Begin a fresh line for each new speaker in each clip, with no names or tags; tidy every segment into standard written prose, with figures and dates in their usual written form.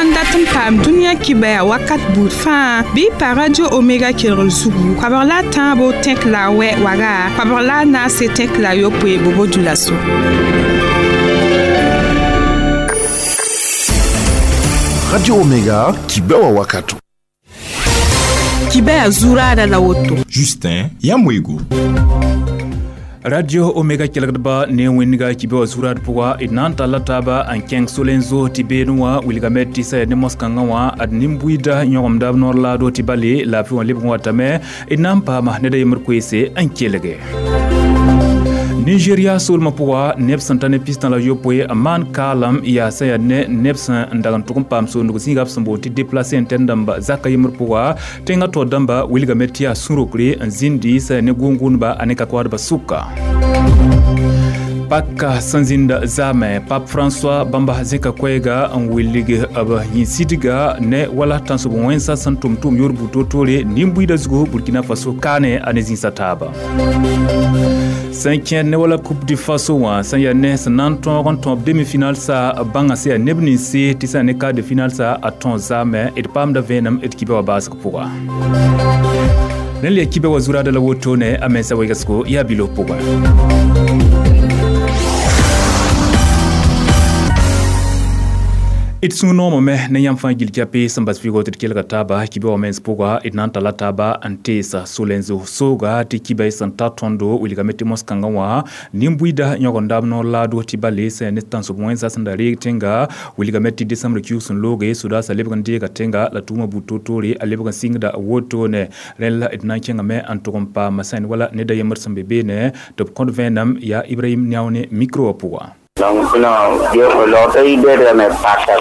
sã n dat n paam dũniyã kibaya wakat buud fãa bɩ pa Radio Omega kelgr zugu koabg la a tãabo tẽk la a wɛ waga koabg la a naase tẽk la a yopoe bobo dulaso.
Radio Omega kibewa wakato.
Kibaya zurada la woto.
Justin Yamwego.
Radio Omega kelgdba ne wẽnga kibe wa zurad pʋga d na n talla taaba n kẽng solenzo tɩ beene wã wilgame tɩ sã ne moskãngã wã ad nin-buiida yõgemda b noor laado tɩ bale laafɩ wã lebg n watame d na n paama ned a yembr koeese n kelge. Nigeria soolmã pʋga neb sẽn ta ne pistã la yopoe n maan kaalam yaa sã yaa ne neb sẽn n dag n tʋg n paam soondg zĩiga b sẽn boond tɩ déplacé n tɛn dãmba zaka yembr pʋga tẽngã taoor dãmba wilgame tɩ yaa sũ-rokre n zĩndi sã yaa ne gʋʋn-gʋʋndba a ne ka-koaadbã sʋka. Paka sẽn zĩnda zaamẽ Pape François bãmba zẽka koɛɛga n wilg b yĩn-sidga ne wala tãnsob wẽnsã sẽn tʋm tʋʋm yor buud toor-toore nin-buiidã zugu Burkina Faso kaane a ne zĩnsã taaba. Sẽn kẽer ne wala Coupe du Faso wã sẽn yaa ne sẽn na n tõog n tõeb demi-finale sa bãngã sẽn yaa neb ninse tɩ sã ne quart de finale sa a tõog zaamẽ d paamda vẽenem d kiba wã baasg pʋga. Rẽnd la kiba wã zuraada la wotone a mensã wegsgo yaa bilo pʋgẽ. D sũ noomame ne yãmb fãa gil kɛpɩ sẽn bas vɩɩgɔ tɩ d kelga taaba kiba wã mens pʋga d na n talla taaba n teesa solenzo sooga tɩ kiba sẽn ta tõndo wilgame tɩ mos-kãngã wã nin-buiida yõgenda b noor laado tɩ bale sã ne tãnsob wẽnsã sẽn da reeg tẽnga wilgame tɩ decembre kiug sẽn looge sodaasã lebg n deega tẽnga la tʋʋmã buud toor-toore a lebg n sɩngda wotone rẽnd la d na n kẽngame n tʋg n paama sã wala ned a yembr sẽn be beene tɩ b kõt vẽenem yaa Ibrahim Niaone micro wã pʋga.
Donc non, me pasa.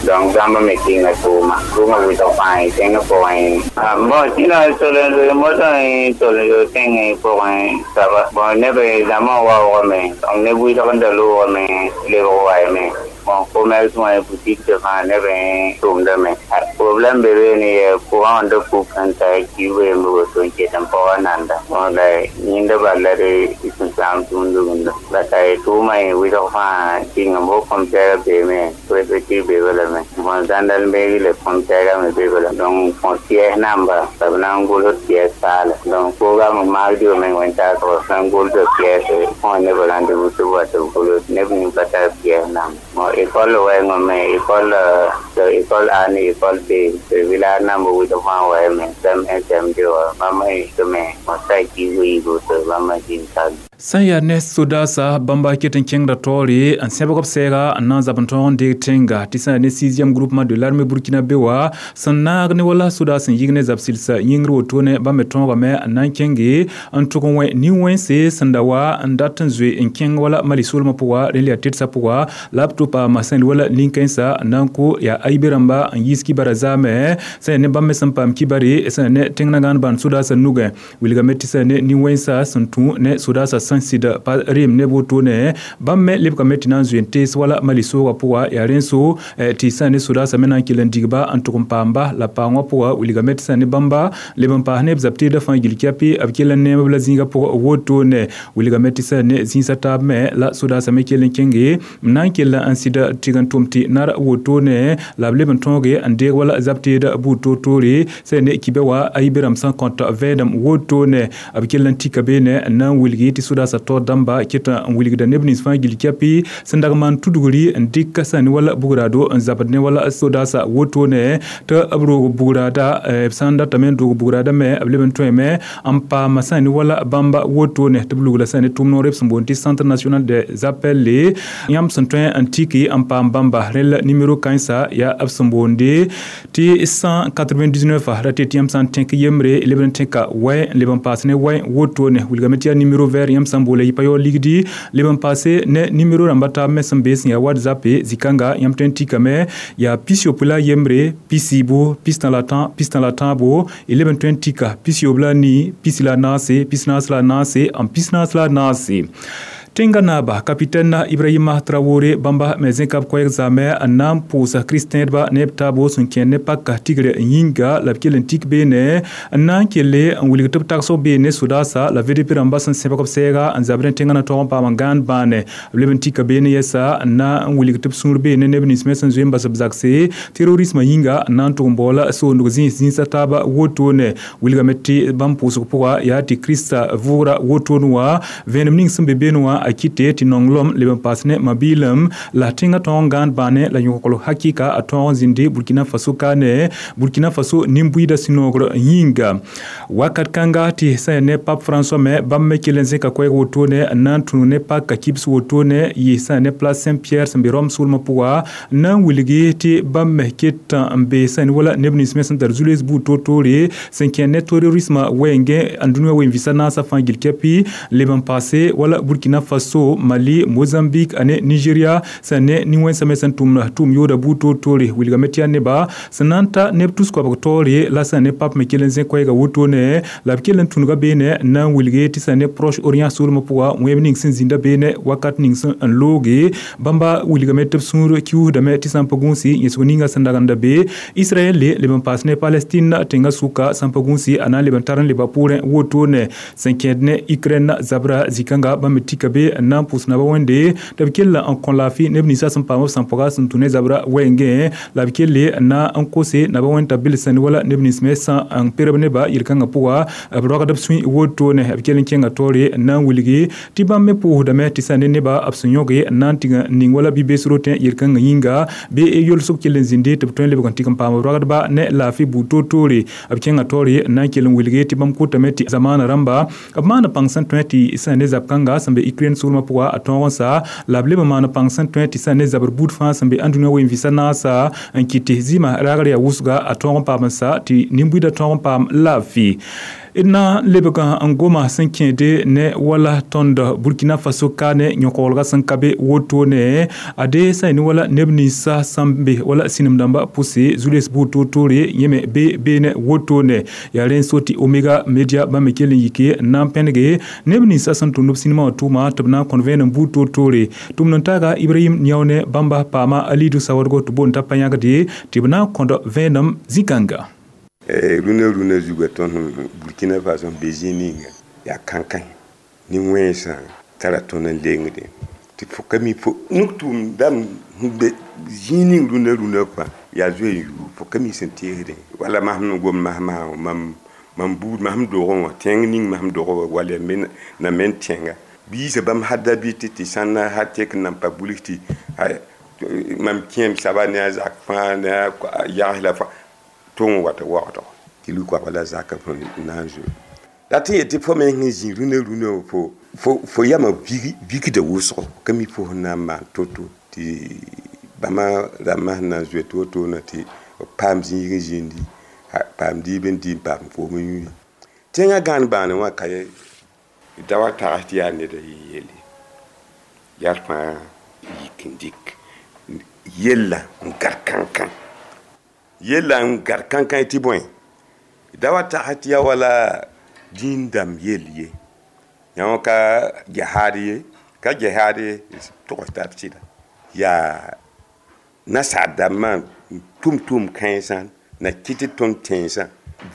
Donc zamba me kinga tuma. Tuma wito pai, tenga poi. Bon, sino solo moto solo tenga poi. Saba. Bon, nebe zama wa wa me. Donc ne wito kanda lo me, le wa me. Bon, commerce moi boutique de vin nebe tum de me. Problème bébé ni courant de coupe anta ki we mo to ke tampo nanda. Bon, la ninda balare isun sam tundu. La tai tuma wito fa kinga mo compare be me, pe be wala me. Bon, zandal me le compare me be wala. Donc foncier number, sabna ngolo pièce sala. Donc programme mardi me wenta ko ngolo de pièce, on ne volante butu wato ngolo ne ni pata pièce nam. Bon, école ouais me école école A ni école B, village number wito fa wa me, sam SM de mama me, mo sai ki wi go to mama jin sa.
Sẽn yaa ne sodaasã bãmba ket n kẽngda taoore n sẽbg b sɛɛga n na n zab n tõog n deeg tẽnga tɩ sã yaa ne 6e groupement de l'armée burkinabé wã sẽn naag ne wala sodaas n yig ne zab sɩlsa yĩngr wotone bãmb me tõogame n na n kẽnge n tʋg n wẽ nin-wẽnse sẽn da wa n dat n zoe n kẽng wala Mali soolmã pʋga rẽnd la yaa tedsa pʋga la b tʋ paama sẽn wala nin-kãensã n na n kʋ yaa aibe rãmba n yiis kibara zaamẽ sẽn yaa ne bãmb me sẽn paam kibare sẽn yaa ne tẽng na gãan bãnd sodaasã nugẽ wilgame tɩ sã yaa ne nin-wẽnsã sẽn tũ ne sodaasã sẽn sɩd pa reem ne wotone bãmb me lebgame tɩ na n zoe n tees wala Mali soogã pʋga yaa rẽn so tɩ sã ne sodaasã me na n kell n digba n tʋg n paamba la paoongã pʋga wilgame tɩ sã ne bãmba leb n paas ne b zab teedã fãa gil kɛpɩ b kell n neem b la zĩigã pʋgã wotone wilgame tɩ sã ne zĩisã taab me la sodaasã me kell n kẽnge n na n kell n sɩd tɩg n tʋm tɩ nar wotone la b leb n tõoge n deeg wala zab teedã buud toor-toore sã ne kiba wã a yibe rãmb sẽn kõt vẽenem wotone b kell n tika beene n na n wilgi tɩ sodaasã taoor dãmba ket n wilgda neb nins fãa gil kɛpɩ sẽn dag maan tudgri n dɩk sã ne wala bugraado n zabd ne wala sodaasã wotone tɩ b roog bugraada b sã n datame n doog bugraada me b leb n tõeme n paama sã ne wala bãmba wotone tɩ b lugla sã ne tʋʋm noor b sẽn boond tɩ Centre national des appels yãmb sẽn tõe n tiki n paam bãmba rẽnd la numéro kãensã yaa b sẽn boonde tɩ 199 ra tɩ yãmb sã n tẽk yembre leb n tẽka wɛ n leb n paas ne wɛ wotone wilgame tɩ yaa numéro vert yãmb sã n boola yɩ pa yaool ligdi leb n paase ne numéro rãmba taab me sẽn be sẽn yaa WhatsApp zĩ-kãnga yãmb tõe n tikame yaa 63, 63, 63 y leb n tõe n tika 64, 44, 44, 44. Tẽngã naaba kapitɛn Ibrahima Traoré bãmba me zẽka b koɛɛg zaame n na n pʋʋsa kristɛdba ne b taabo sẽn kẽer ne paka tigr yĩnga la b kell n tik beene n na n kelle n wilg tɩ b tagsg beene sodaasa la VDP rãmba sẽn sẽbg b sɛɛga n zabr tẽngã na tog n paam n gãand bãane b leb n tika beene yɛsa n na n wilg tɩ b sũur beene neb nins me sẽn zoe n bas b zakse terrorismã yĩnga n na n tʋg n baoola soondg zĩis zĩisã taaba wotone wilgame tɩ bãmb pʋʋsg pʋga yaa tɩ Krista vʋʋgra wotone wã vẽenem ning sẽn be beene wã a kɩte tɩ nonglem leb n paas ne mabiilem la tẽngã tõog n gãand bãane la yõkl hakɩka a tõog n zĩndi Burkina Faso kaane Burkina Faso nin-buiidã sũ-noogr yĩnga wakat kãnga tɩ sã ya ne Pape François me bãmb me kell n zẽka koɛɛg wotone n na n tũnu ne paka kibs wotone yɩ sã ya ne place Saint Pierre sẽn be Rome soolmã pʋga n na n wilgi tɩ bãmb me ket n be sã ne wala neb nins me sẽn tar zu-loees buud toor-toore sẽn kẽer ne terrorismã wɛɛngẽ ãndũniyã wen-vɩsa naasã fãa gil kɛpɩ leb n paase wala Burkina Faso, Mali, Mozambique ane Nigeria sẽn ne nin-wẽnsã me sẽn tʋm yooda buud toor-toore wilgame tɩ yaa neba sẽn na n ta neb tus-koabg taoore la sẽn ne Pape me kell n zẽ koɛɛga wotone la b kell n tũnuga beene n na n wilge tɩ sẽn ne Proche Orient soolmã pʋga wẽeb ning sẽn zĩnda beene wakat ning sẽn n looge bãmba wilgame tɩ b sũur kiusdame tɩ sã n pa gũusi yẽsg ninga sẽn dagenda be Israɛl leb n paas ne Palestine tẽngã sʋka sã n pa gũusi a na n leb n tar n leba pʋʋrẽ wotone sẽn kẽed ne Ukraine zabra zĩ-kãnga bãmb me tika be n na n pʋʋs naba wẽnde tɩ b kell n kõ laafɩ neb ninsã sẽn paam b sãn-pʋga sẽn tũ ne zabra wɛɛngẽ la b kelle n na n kose naba wẽnd t'a bilsẽ wala neb nins me sã n perb neba yel-kãngã pʋga b rogd b sũy wotone b kell n kẽnga taoore n na n wilgi tɩ bãmb me pʋʋsdame tɩ sã ne neba b sẽn yõge n na n tɩg n ning wala bi-bees rotẽ yel-kãngã yĩnga bɩ yolsg kell n zĩndi tɩ b tõe n lebg n tɩg n paam b rogdba ne laafɩ buud toor-toore b kẽnga taoore n na n kell n wilgi tɩ bãmb kotame tɩ zamaana rãmba b maana pãng sẽn tõe tɩ sã ne zab-kãnga sẽn be Ukraine soolmã pʋga a tõog n sa la b leb n maan pãng sẽn tõe tɩ sã ne zabr buud fãa sẽn be ãndũniyã wen-vɩsa naasa n kɩt tɩ zɩɩmã ragr yaa wʋsga a tõog n paam n sa tɩ nin-buiidã tõog n paam laafɩ d na n lebg n goma sẽn kẽede ne wala tõnd Burkina Faso kaane yõkoglga sẽn ka be wotone ade sã ne wala neb ninsã sẽn be wala sĩnem dãmbã pʋse zu-loees buud toor-toore yẽ me be beene wotone yaa rẽ n so tɩ Omega Media bãmb me kell n yike n na n pẽnege neb ninsã sẽn tʋmd b sĩnemã wã tʋʋma tɩ b na n kõn vẽenem buud toor-toore tʋmd n taaga Ibrahim Niaone bãmba paama a liidu saoodgo tɩ boond t'a pa yãgde tɩ b na n kõd vẽenem zĩ-kãnga.
Rũnã rũnã zuga tõnd Burkina Faso n be zĩig ninga yaa kãnkã nin-wẽnsã tara tõnd n lengde tɩ fo ka mi fo nuk tʋʋm dãmb sẽn be zĩig ning rũnã rũnã fãa yaa zoe n yuu fo ka mi sẽn teesdẽ wala masem n gom masmã mam buud masem dogẽ wã tẽng ning masem dogẽ wã wala na men tẽnga biisã bãmb hadda bɩ tɩ sãnna ha tek n nan pa bulg tɩ mam kẽem saba ne a zak fãa ne a yags la fãa tʋng wata waoodgo tɩ lui-koabga la zakã fõ na n zoe la tɩ yet tɩ fo me sẽn zĩ rũnã rũnã fo yamã vikda wʋsgo ka mi fo sẽn na n maan to-to tɩ bãmba rãmbã sẽn na n zoe to-to-na tɩ b paam zĩig n zĩndi paam diib n dɩ n paam koom n yũi tẽngã gãan bãane wã ka da wa tags tɩ yaa neda yɩ yelle yaa fãa yik n dɩk yella n gar kãnkã yella n gar kãnkã tɩ bõe da wa tags tɩ yaa wala dĩin dãmb yell ye yã ka gehaad ye ka gehaad ye togs tab sɩda yaa nasaar dãmbã tʋm-tʋʋm kãensã na kɩt tɩ tõnd tẽensã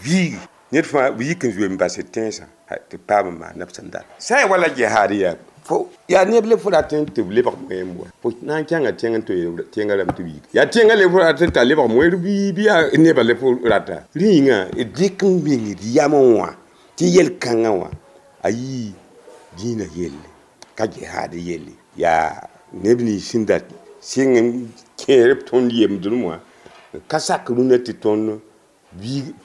viigi ned fãa b yik n zoe n bas tẽensã tɩ paam n maan b sẽn dat sã n wala gehaad yaa fo yaa neb le fo rat n tɩ b lebg moeem wa fo na n kẽnga tẽng n tɩ tẽngã rãmb tɩ b yik yaa tẽngã le fo rat n t'a lebg moeer bɩ yaa nebã le fo rata rẽ yĩnga d dɩk n meng d yamẽ wã tɩ yel-kãngã wã a yii dĩinã yelle ka gehaad yelle yaa neb nins sẽn da sɩng n kẽer b tõnd yemdem wã ka sak rũnã tɩ tõnd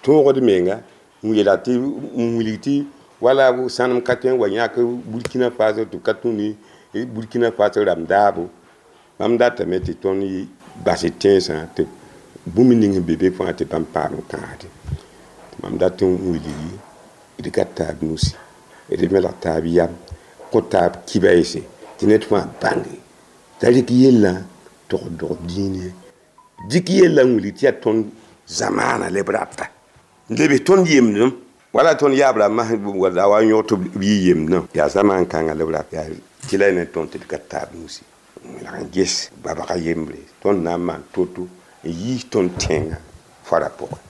tõogd menga n yeela tɩ n wilg tɩ wala sãnem ka tõe n wa yãk Burkina Faso tɩ b ka tũ ne Burkina Faso rãmb daabo bãmb datame tɩ tõnd bas tẽnsã tɩ bũmb ning sẽn be be fãa tɩ bãmb paam n kãasde mam dat n wilgi d gat taab nusi d melg taab yam kõ taab kibaɛɛse tɩ ned fãa bãnge t'a rɩk yellã tog-dog dĩin ye dɩk yellã n wilg tɩ yaa tõnd zamaana le b rata n leb tõnd yemdem Wala tõnd yaabra mas la wa yõg tɩ b yɩ yemdã yaa zamaan kãngã la b rat yaa tɩ la ne tõnd tɩ d ka taab nusi la n ges babga yembre tõnd na n maan to-to n yiis tõnd tẽngã fara pʋgẽ.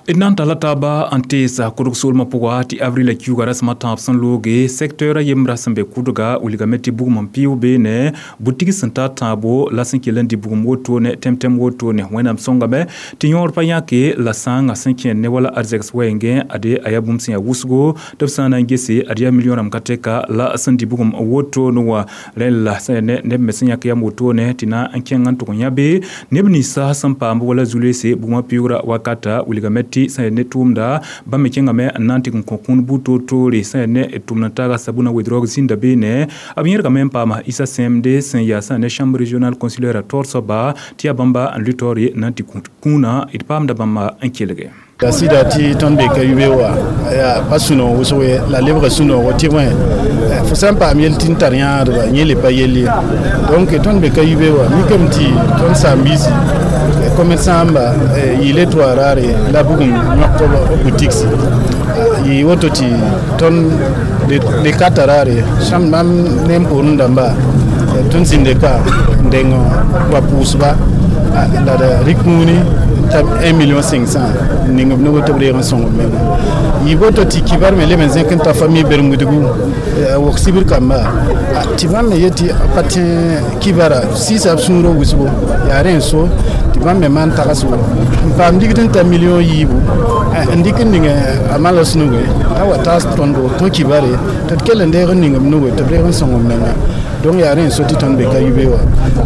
D na n tala taaba n teesa kʋdg soolmã pʋga tɩ avril a kiuga rasem a tãab sẽn looge secteur a yembra sẽn be kʋdga wilgame tɩ bugum n pɩʋ beene bʋtig sẽn ta tãabo la sẽn kell n dɩ bugum wotone tẽm-tẽm wotone wẽnnaam sõngame tɩ yõor pa yãke la sãangã sẽn kẽnd ne wala arzɛgs wɛɛngẽ ade a yaa bũmb sẽn yaa wʋsgo tɩ b sã n na n gese ad yaa million rãmb ka tɛka la sẽn dɩ bugum wotone wã rẽn la sẽn ne neb me sẽn yãk yam wotone tɩ na n kẽng n tʋg n yã be neb ninsã sẽn paam wala zu-loeese bugmã pɩʋʋgra wakata wilgame tɩ sẽn ne tʋʋmda bãmb me kẽngame n na n tɩg n kõ kũun buud toor-toore sẽn ne tʋmd n taaga sabuna wedrog zĩnda beene b yẽrgame n paama Issa Sẽmde sẽn yaa sã ne chambre régionale consulaire a taoor soaba tɩ yaa bãmba n lʋ taoore na n tɩ kũunã d paamda bãmba n kelge.
La sɩda tɩ tõnd be ka yube wa yaa pa sũ-noog wʋsg ye la lebga sũ-noogo tɩ wẽ fo sã n paam yel tɩ n tar yãadba yẽ le pa yell ye donc tõnd be ka yube wa mikame tɩ tõnd saam-biisi commerçant ba yɩle toa raare la bugum yõk boutique yɩ woto tɩ tõnd le kata raare sãmb mam ne n pʋʋrẽ dãmba tõnd zĩnde ka n deng wa pʋʋsba la d rɩk kũuni t'a 1 million 500 ning b nug tɩ b reeg n sõng b menga yɩ boto tɩ kibar me leb n zẽk n ta famille bermudgu wok sibr kamba tɩ bãmb me yetɩ pa tẽ kibara sɩɩsa b sũurã wʋsgo yaa rẽ n so tɩ bãmb me maan tagsgo n paam ligd n ta million yiibu n dɩk n ning a malos nuge a wa taas tõndo tõ kibare tɩ d kell n deeg n ning b nuge tɩ b reeg n sõng b menga donc yaa rẽ n so tɩ tõnd be ka yube wa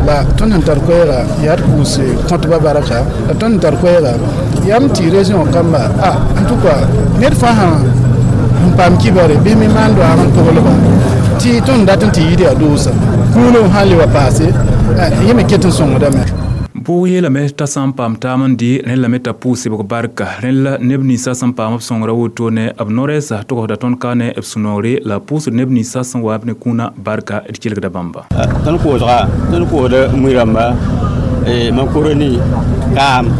la tõnd sẽn tar koɛɛga yaa d pʋʋs kõtba barka la tõnd sẽn tar koɛɛga yam tɩ région kamba en tout cas ned fãa sẽn paam kibare bɩ me maan doaag n toglba tɩ tõnd dat n tɩ yɩɩd yaa doosa kũunom sã n le wa paase yẽ me ket n sõngdame.
Bʋʋg yeelame t'a sã n paam taam n dɩ rẽnd lame t'a pʋʋs sebg barka rẽnd la neb ninsã sẽn paam b sõngra wotone b no-rɛɛsa togsda tõnd ka ne b sũ-noogre la pʋʋsd neb ninsã sẽn wa b ne kũunã barka d kelgda bãmba.
Tõnd koosga tõnd koosda mui rãmba makoroni kaam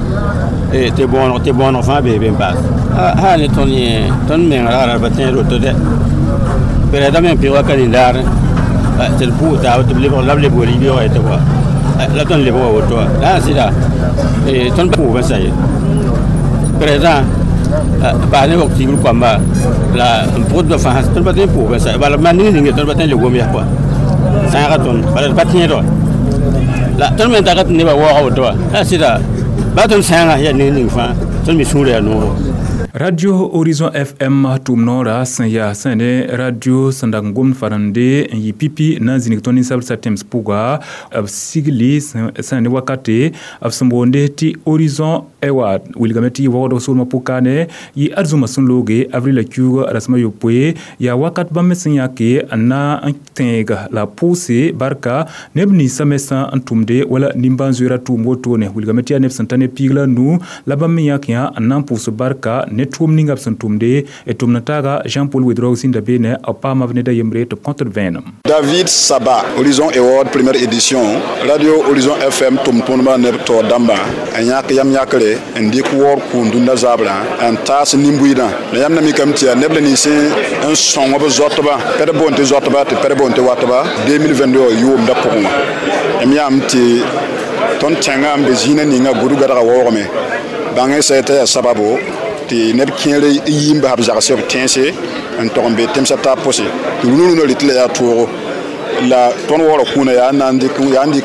tɩ bõoneg fãa bee be n paas sã ne tõnd yẽ tõnd meng ragra pa tẽed woto dɛ pɛrɛda me n pɩʋga ka nin-daar tɩ d pʋʋs taab tɩ b lebg la b lebg rib-yoogã tɩ wa la tõnd lebg wa woto wã la sã sɩda tõnd pʋʋs n sa ye président bas ne wok tibr koamba la n pʋgdba fãa tõnd pa tõe n pʋʋs n sa bala maan ning ninge tõnd pa tõe n le gom yaa kɔa sãaga tõnd bala d pa tẽed wã la tõnd me n taga tɩ nebã waooga woto wã la sɩda ba tõnd sãangã yaa ning ning fãa tõnd me sũurã yaa noogo.
Radio Horizon FM tʋʋm noora sẽn yaa sẽn ne radio sẽn dag n gomd farende n yɩ pipi na n zĩnig tõnd ninsabdsã tẽms pʋga b sigli sẽn ne wakate b sẽn boonde tɩ Horizon ewa wilgame tɩ yɩ waoodg soolmã pʋkaane yɩ arzũmã sẽn looge avril a kiuug rasem a yopoe yaa wakat bãmb me sẽn yãke n na n tẽeg la pʋʋse barka neb ninsã me sã n tʋmde wala nimbãan-zoeera tʋʋm wotone wilgame tɩ yaa neb sẽn ta ne piig la nu la bãmb me yãk yã n na n pʋʋs barka ne tʋʋm ninga b sẽn tʋmde d tʋmd n taaga Jean-Paul Wedrog zĩnda beene b paama b ned a yembre tɩ b kõt d vẽenem.
David Saba, Horizon Award première édition, Radio Horizon FM tʋm-tʋmdbã neb taoor dãmbã n yãk yam yãkre n dɩk waoor kũun dũnna zabrã n taas nin-buiidã la yãmb na mikame tɩ yaa neb la nins n sõng b zoatba pɛd boond tɩ zoatba tɩ pɛd boond tɩ watba 2022 yʋʋmdã pʋgẽ wã m yãam tɩ tõnd tẽngã n be zĩinã ninga gʋd gadga waoogame bãng sã t'a yaa sababo tɩ neb kẽer n yi n bas b zagsɛ b tẽense n tog n be tẽmsã taab pʋse tɩ rũnu-rũnã rɩtɩ la yaa toogo la tõnd waoora kũunã yaa n dɩk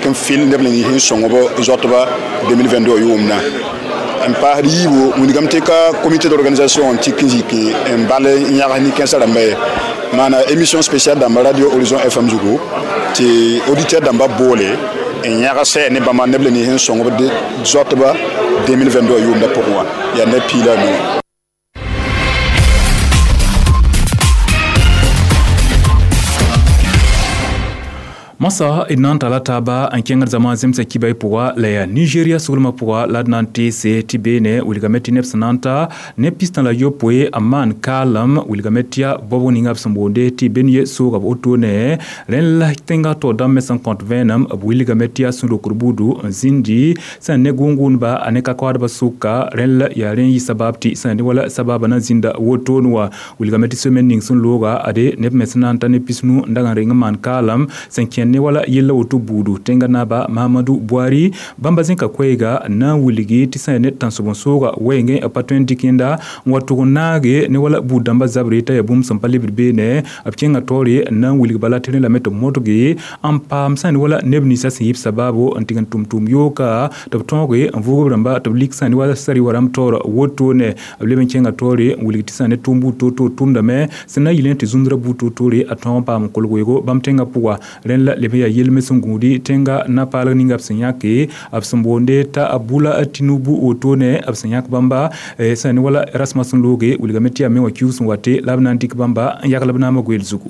n fɩl neb la nins n sõng b zoatba 2022 yʋʋmdã n paasd yiibu wilgame tɩ ka comité d'organisation n tik n zik n bal n yãgs nin-kãensã rãmba ye maana émission spéciale dãmba Radio Horizon FM zugu tɩ auditeur dãmba boole n yãgs ne bãmba neb la nins n sõng b zoatba 2022 yʋʋmdã pʋgẽ wã yaa neb piig la a nu.
Masa d na n tala taaba n kẽngd zãma zemsã kibay pʋga la yaa Nigeria soglmã pʋga la d na n teese tɩ beene wilgame tɩ neb sẽn na n ta ne 61 n maan kaalem wilgame tɩ yaa baobg ninga b sẽn boonde tɩ Benue sooga b wotone rẽnd la tẽngã taoor dãmb me sẽn kõt vẽenem b wilgame tɩ yaa sũ-rokr buudu n zĩndi sẽn ne gʋʋn-gʋʋndba a ne ka-koaadbã sʋka rẽnd la yaa rẽ n yɩ sabab tɩ sẽn ne wala sababã na zĩnda wotone wã wilgame tɩ semaine ning sẽn looga ade neb me sẽn na n ta ne 90 n dag n reng n maan kaalem sẽn kẽnd ne wala yella woto buudu tẽnga naaba Mahamadou Buhari bãmba zẽka koɛɛga na n wilgi tɩ sã ne tãnsoben-sooga wɛɛngẽ b pa tõe n dɩk yẽnda n wa tʋg n naage ne wala buud-dãmbã zabre t'a yaa bũmb sẽn pa lebd beene b kẽnga taoore n na n wilg bala tɩ rẽ lame tɩ b modge n paam sã ne wala neb ninsã sẽn yɩ b sabaabo n tɩg n tʋm tʋʋm yooka tɩ b tõoge n vʋʋg b rãmba tɩ b lik sã ne wala sari wa rãmb taoor wotone b leb n kẽnga taoore n wilg tɩ sã ne tʋʋm buud toor-toor tʋmdame sẽn na n yɩl tɩ zũndrã buud toor-toore a tõog n paam n kolg weoogo bãmb tẽngã pʋga rẽnd la leb n yaa yelme sẽn gũudi tẽnga na-paalg ninga b sẽn yãke b sẽn boonde t'a Bola Tinubu wotone b sẽn yãk bãmba sã ne wala rasmã sẽn looge wilgame tɩ yaa me wã kiuus n wate la b na n dɩk bãmba n yagl b naamã goeel zugu.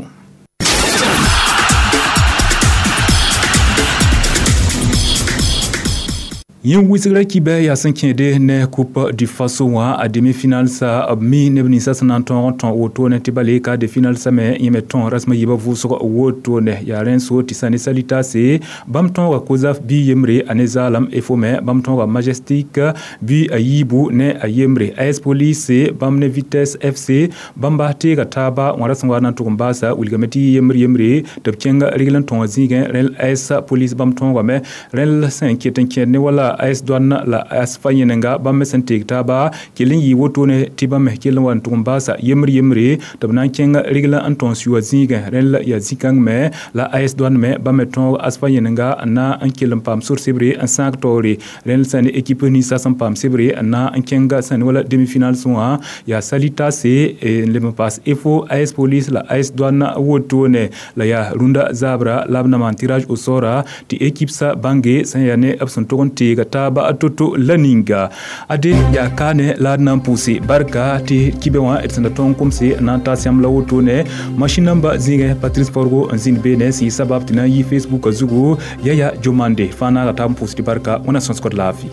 Yẽ wɩsgrã kibɛ yaa sẽn kẽede ne Coupe du Faso wã a demi-finale sa b mi neb ninsã sẽn na n tõog n tõ wotone tɩ bale ka de finale sa me yẽ me tõ rasmã yiibã vʋʋsg wotone yaa rẽnd so tɩ sã ne Salitase bãmb tõoga Kozaf bɩ yembre a ne zaalem efo me bãmb tõoga Majestic bɩ a yiibu ne a yembre AS Police bãmb ne Vitesse FC bãmba teega taaba wã ra sẽn wa na n tʋg n baasa wilgame tɩ yembre yembre tɩ b kẽng regl n tõog zĩigẽ rẽnd AS Police bãmb tõogame rẽnd sẽn ket n kẽed ne wala AS Douane la AS fa yẽnenga bãmb me sẽn teeg taaba kell n yɩ wotone tɩ bãmb me kell n wa n tʋg n baasa yembre yembre tɩ b na n kẽng regl n tõog sʋa zĩigẽ rẽnd la yaa zĩ-kãng me la AS Douane me bãmb me tõog AS fa yẽnenga n na n kell n paam sor sebre n sãag taoore rẽnd sã ne équipe ninsã sẽn paam sebre n na n kẽng sã ne wala demi-finale wã yaa Salitase n leb n paas EFO AS Police la AS Douane wotone la yaa rũndã zaabra la b na maan tirage au sort tɩ équipe sa bãnge sẽn yaa ne b sẽn tʋg n teega taaba toto la ninga ade yaa kaane la d na n pʋʋse barka tɩ kibɛ wã d sẽn da tõog n komse n na n taas yãmb la wotone machine namba zĩigẽ Patrice Forgo n zĩnd beene sẽn yɩ sabab tɩ na n yi Facebook zugu Yaya Jomande fãa naaga taab n pʋʋs tɩ barka wẽna sõsgd laafɩ.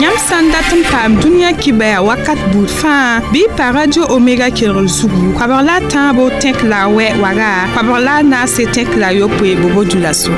Yãmb sã n dat n paam dũniyã kibɛa wakat buud fãa bɩ pa Radio Omega kelgr zugu koabg la a tãabo tẽk la a wɛ waga koabg la a naase tẽk la a yopoe bobo dũla so.